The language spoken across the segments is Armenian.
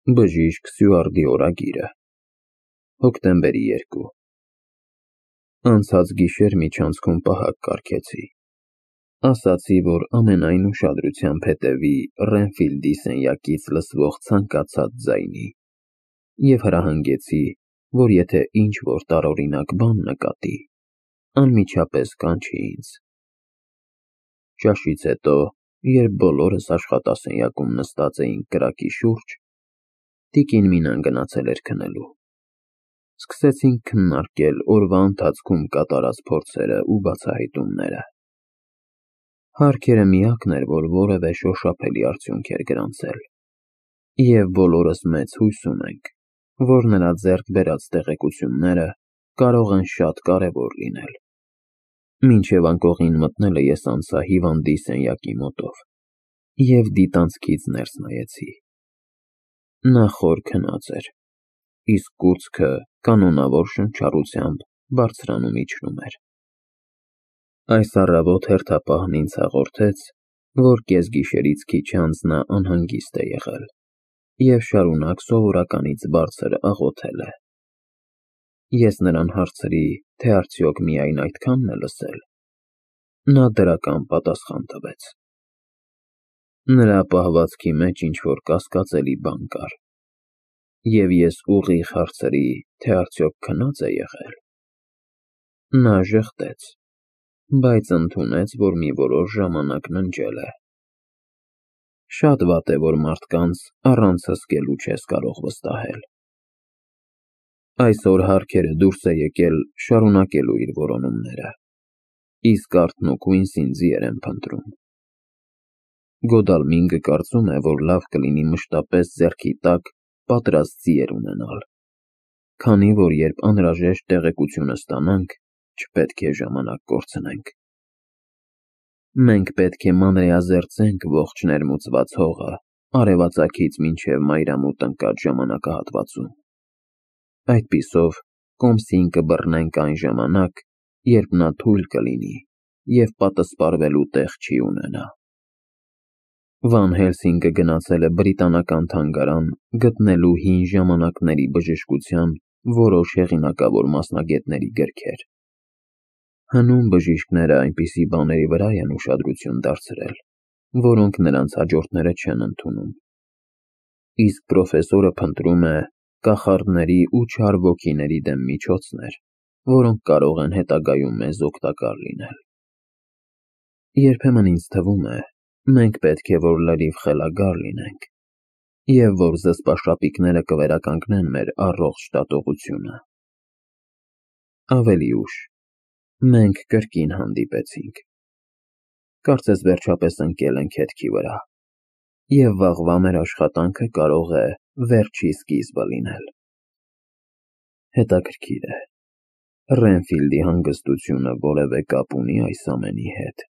Բժիշկ Սյուարդի օրագիրը, հոկտեմբերի 2։ Անցած գիշեր միջանցքում պահակ կարգեցի։ Ասացի, որ ամենայն ուշադրությամբ հետևի Ռենֆիլդի սենյակից լսվող ցանկացած ձայնի և հրահանգեցի, որ եթե ինչ-որ տարօրինակ բան նկատի, անմիջապես կանչի ինձ։ Ճաշից հետո, երբ բոլորս աշխատասենյակում նստած էինք կրակի շուրջ, տիկին Մինան գնացել էր քնելու։ Սկսեցինք քննարկել օրվա ընթացքում կատարած փորձերը ու բացահայտումները։ Հարքերը միակն էր, որ որևէ շոշափելի արդյունք էր գրանցել, և բոլորս մեծ հույս ունենք, որ նրա ձեռք բերած տեղեկությունները կարող են շատ կարևոր լինել։ Մինչև անկողին մտնելը ես անցա հիվանդի սենյակի մոտով և դիտանցքից ներս նայեցի։ Նա խոր քնած էր, իսկ կուրծքը կանոնավոր շնչառությամբ բարձրանում իջնում էր։ Այս առավոտ հերթապահն ինձ հաղորդեց, որ կեսգիշերից քիչ անց նա անհանգիստ է եղել և շարունակ սովորականից բարձր աղոթել է։ Ես նրան հարցրի, թե արդյոք միայն այդքանն է լսել։ Նա դրական պատասխան տվեց։ Նրա պահվածքի մեջ ինչ-որ կասկածելի բան կար, և ես ուղիղ հարցրի, թե արդյոք քնած է եղել։ Նա ժխտեց, բայց ընդունեց, որ մի որոշ ժամանակ ննջել է։ Շատ վատ է, որ մարդկանց առանց հսկելու չես կարող վստահել։ Այսօր Հարքերը դուրս է եկել շարունակելու իր որոնումները, իսկ Արթն ու Քույնսին ձիեր են փնտրում։ Գոդալմինգը կարծում է, որ լավ կլինի մշտապես ձեռքի տակ պատրաստ ձիեր ունենալ, քանի որ երբ անհրաժեշտ տեղեկությունը ստանանք, չպետք է ժամանակ կորցնենք։ Մենք պետք է մանրէազերծենք ողջ ներմուծված հողը արևածագից մինչև մայրամուտ ընկած ժամանակահատվածում։ Այդպիսով կոմսին կբռնենք այն ժամանակ, երբ նա թույլ կլինի և պատսպարվելու տեղ չի ունենա։ Վան Հելսինգը գնացել է բրիտանական թանգարան գտնելու հին ժամանակների բժշկության որոշ հեղինակավոր մասնագետների գրքեր։ Հնում բժիշկները այնպիսի բաների վրա են ուշադրություն դարձրել, որոնք նրանց հաջորդները չեն ընդունում։ Իսկ պրոֆեսորը փնտրում է կախարդների ու չար ոգիների դեմ միջոցներ, որոնք կարող են հետագայում մեզ օգտակար լինել։ Երբեմն ինձ թվում է, մենք պետք է որ լրիվ խելագար լինենք, և որ զսպաշապիկները կվերականգնեն մեր առողջ դատողությունը։ Ավելի ուշ մենք կրկին հանդիպեցինք։ Կարծես վերջապես ընկել ենք հետքի վրա, և վաղվա մեր աշխատանքը կարող է վերջի սկիզբը լինել։ Հետաքրքիր է, Ռենֆիլդի հանգստությունը որևէ կապ ունի այս ամենի հետ։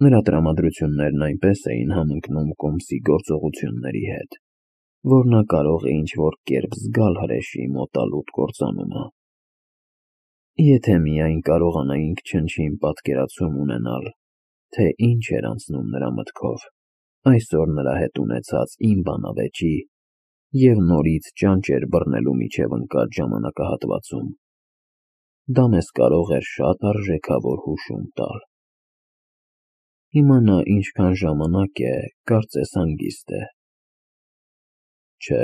Նրա տրամադրություններն այնպես էին համընկնում կոմսի գործողությունների հետ, որ նա կարող է ինչ-որ կերպ զգալ հրեշի մոտալուտ կործանումը։ Եթե միայն կարողանայինք չնչին պատկերացում ունենալ, թե ինչ էր անցնում նրա մտքով այսօր նրա հետ ունեցած իմ բանավեճի և նորից ճանճեր բռնելու միջև ընկած ժամանակահատվածում, դա մեզ կարող էր շատ արժեքավոր հուշում տալ։ Հիմա նա ինչքան ժամանակ է, կարծես հանգիստ է։ Չէ,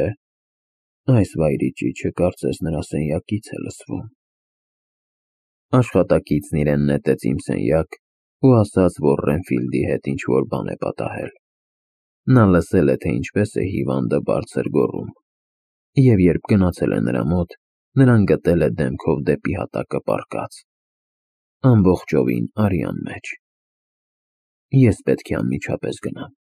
այս վայրի ճիչը կարծես նրա սենյակից է լսվում։ Աշխատակիցն իրեն նետեց իմ սենյակ ու ասաց, որ Ռենֆիլդի հետ ինչ-որ բան է պատահել։ Նա լսել է, թե ինչպես է հիվանդը բարձր գոռում, և երբ գնացել է նրա մոտ, նրան գտել է դեմքով դեպի հատակը պառկած, ամբողջովին արյան մեջ։ Ես պետք է անմիջապես գնամ։